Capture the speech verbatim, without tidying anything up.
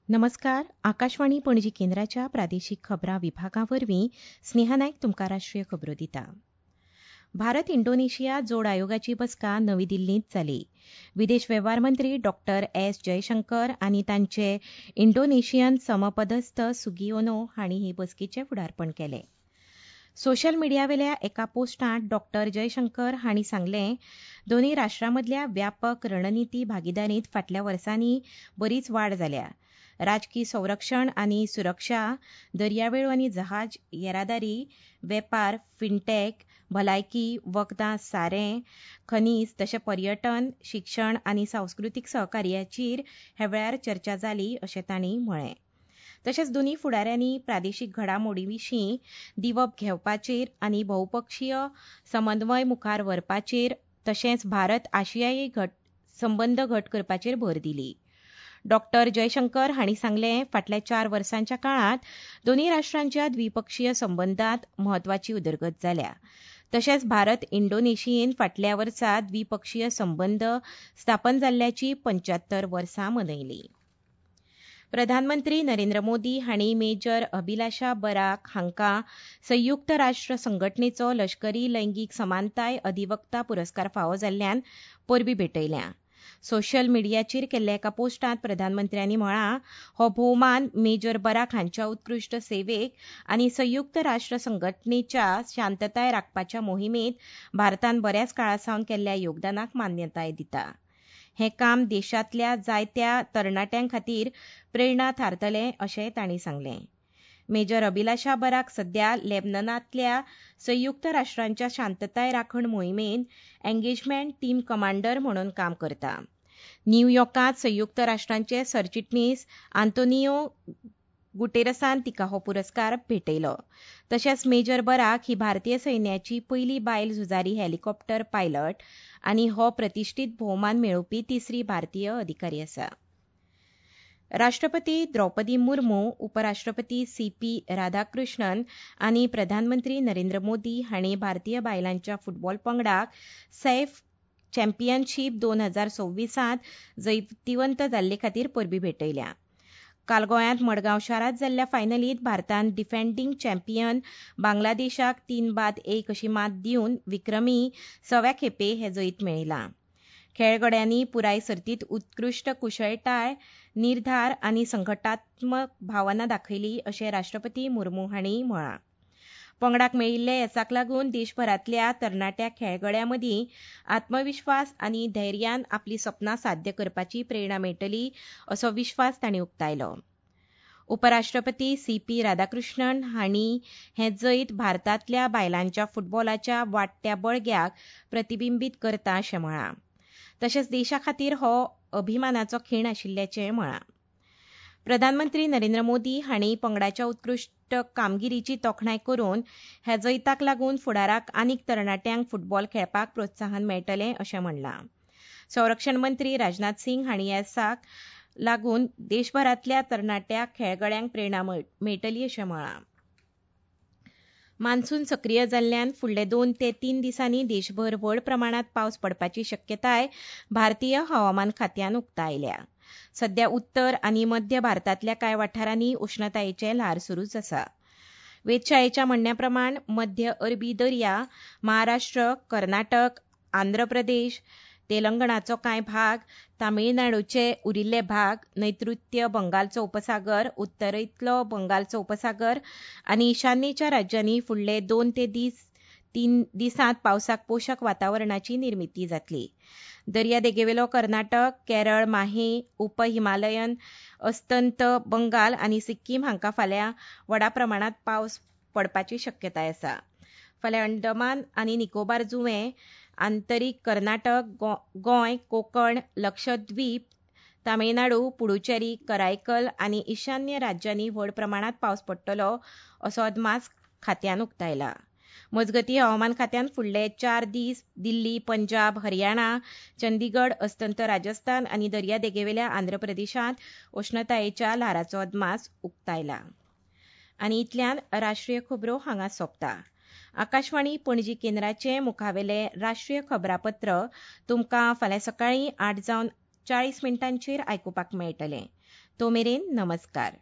नमस्कार. आकाशवाणी पणजी केंद्राच्या प्रादेशीक खबरां विभागा वरवीं स्नेहा नायक तुमकां राष्ट्रीय खबरो दिता. भारत इंडोनेशिया जोड आयोगाची बसका नवी दिल्लींत जाली. विदेश वेव्हार मंत्री डॉ एस जयशंकर आनी तांचे इंडोनेशियन समपदस्थ सुगियोनो हांणी हे बसकेचें फुडारपण केलें. सोशल मिडियावेल्या एका पोस्टांत डॉ जयशंकर हांणी सांगलें, दोनूय राष्ट्रां मदल्या व्यापक रणनिती भागिदारींत फाटल्या वर्सांनी बरीच वाड जाल्या. राजकी संरक्षण आनी सुरक्षा, दर्यावेळो आनी जहाज येरादारी, वेपार, फिनटॅक, भलायकी, वखदां, सारें, खनीज तशें पर्यटन, शिक्षण आनी सांस्कृतीक सहकार्याचेर ह्या वेळार चर्चा जाली अशें तांणी म्हळें. तशेंच दोनूय फुडाऱ्यांनी प्रादेशीक घडामोडीं विशीं दिवप घेवपाचेर आनी बहुपक्षीय समन्वय मुखार व्हरपाचेर तशेंच भारत आशियाई संबंद घट करपाचेर भर दिली. डॉ जयशंकर हांणी सांगलें, फाटल्या चार वर्सांच्या काळांत दोनूय राष्ट्रांच्या द्विपक्षीय संबंदांत म्हत्वाची उदरगत जाल्या. तशेंच भारत इंडोनेशियेन फाटल्या वर्सा द्विपक्षीय संबंद स्थापन जाल्ल्याची पंच्यात्तर वर्सां मनयली. प्रधानमंत्री नरेंद्र मोदी हांणी मेजर अभिलाषा बराक हांकां संयुक्त राष्ट्र संघटनेचो लश्करी लैंगीक समानताय अधिवक्ता पुरस्कार फावो जाल्ल्यान परबीं भेटयल्या. सोशल मिडियाचेर केल्ल्या एका पोस्टांत प्रधानमंत्र्यांनी म्हळां, हो भोवमान मेजर बराक हांच्या उत्कृश्ट सेवेक आनी संयुक्त राष्ट्र संघटनेच्या शांतताय राखपाच्या मोहिमेंत भारतान बऱ्याच काळा सावन केल्ल्या योगदानाक मान्यताय दिता. हें काम देशांतल्या जायत्या तरणाट्यां खातीर प्रेरणा थारतलें अशें तांणी सांगलें. मेजर अभिलाषा बराक सध्या लेबननांतल्या संयुक्त राष्ट्रांच्या शांतताय राखण मोहिमेंत एंगेजमेंट टीम कमांडर म्हणून काम करता. न्यूयॉर्कांत संयुक्त राष्ट्रांचे सरचिटणीस आंतोनियो गुटेरसान तिका हो पुरस्कार भेटयलो. तशेंच मेजर बराक ही भारतीय सैन्याची पयली बायल झुजारी हेलिकॉप्टर पायलट आनी हो प्रतिश्ठीत भोवमान मेळोवपी तिसरी भारतीय अधिकारी आसा. राष्ट्रपती द्रौपदी मुर्मू, उपराष्ट्रपती सी पी राधाकृष्णन आनी प्रधानमंत्री नरेंद्र मोदी हांणी भारतीय बायलांच्या फुटबॉल पंगडाक सैफ चॅम्पियनशीप दोन हजार सव्वीसांत जैतिवंत जाल्ले खातीर परबीं भेटयल्या. काल गोंयांत मडगांव शारांत जाल्ल्या फायनलींत भारतान डिफेंडींग चॅम्पियन बांगलादेशाक तीन बाद एक अशी मात दिवन विक्रमी सव्या खेपे हें जैत मेळयलां. खेळगड्यांनी पुराय सर्तींत उत्कृश्ट कुशळटाय, निर्धार आनी संघटात्मक भावना दाखयली अशें राष्ट्रपती मुर्मू हांणी म्हळां. पंगडाक मेळिल्ल्या येसाक लागून देशभरांतल्या तरणाट्या खेळगड्यां मदीं आत्मविश्वास आनी धैर्यान आपली सपनां साध्य करपाची प्रेरणा मेळटली असो विश्वास तांणी उक्तायलो. उपराष्ट्रपती सी पी राधाकृष्णन हांणी हें जैत भारतांतल्या बायलांच्या फुटबॉलाच्या वाडट्या बळग्याक प्रतिबिंबीत करता अशें म्हळां. तशेंच देशा खातीर हो अभिमानाचो खीण आशिल्ल्याचें म्हळां. प्रधानमंत्री नरेंद्र मोदी हांणी पंगडाच्या उत्कृश्ट कामगिरीची तोखणाय करून ह्या जैताक लागून फुडाराक आनीक तरणाट्यांक फुटबॉल खेळपाक प्रोत्साहन मेळटलें अशें म्हणलां. संरक्षण मंत्री राजनाथ सिंग हांणी येसाक लागून देशभरांतल्या तरणाट्या खेळगड्यांक प्रेरणा मेळटली अशें म्हळां. मान्सून सक्रीय जाल्ल्यान फुडले दोन ते तीन दिसांनी देशभर व्हड प्रमाणांत पावस पडपाची शक्यताय भारतीय हवामान खात्यान उक्तायल्या. सध्या उत्तर आनी मध्य भारतांतल्या कांय वाठारांनी उश्णतायेचें ल्हार सुरूच आसा. वेधशाळेच्या म्हणण्या प्रमाण मध्य अरबी दर्या, महाराष्ट्र, कर्नाटक, आंध्र प्रदेश, तेलंगणाचो कांय भाग, तामिळनाडूचे उरिल्ले भाग, नैऋत्य बंगालचो उपसागर, उत्तरेंतलो बंगालचो उपसागर आनी ईशान्येच्या राज्यांनी फुडले दोन ते तीन दिसांत पावसाक पोशक वातावरणाची निर्मिती जातली. दर्यादेगेवेलो कर्नाटक, केरळ, माहे, उप हिमालयन, अस्तंत बंगाल आनी सिक्कीम हांकां फाल्यां व्हडा प्रमाणांत पावस पडपाची शक्यताय आसा. फाल्यां अंदमान आनी निकोबार जुंवे, आंतरीक कर्नाटक, गोंय, कोकण, लक्षद्वीप, तामिळनाडू, पुडुचेरी, करायकल आनी ईशान्य राज्यांनी व्हड प्रमाणांत पावस पडटलो असो अदमास खात्यान उक्तायला. मजगतीं, हवामान खात्यान फुडले चार दीस दिल्ली, पंजाब, हरियाणा, चंदीगड, अस्तंत राजस्थान आनी दर्यादेगेवेल्या आंध्र प्रदेशांत उश्णतायेच्या ल्हाराचो अदमास उक्तायला. आनी इतल्यान राष्ट्रीय खबरो हांगा सोंपता. आकाशवाणी पणजी केंद्राचे मुखावेले राष्ट्रीय खबरापत्र तुमकां फाल्यां सकाळीं आठ जावन चाळीस मिनटांचेर आयकुपाक मेळटलें. तो मेरेन नमस्कार.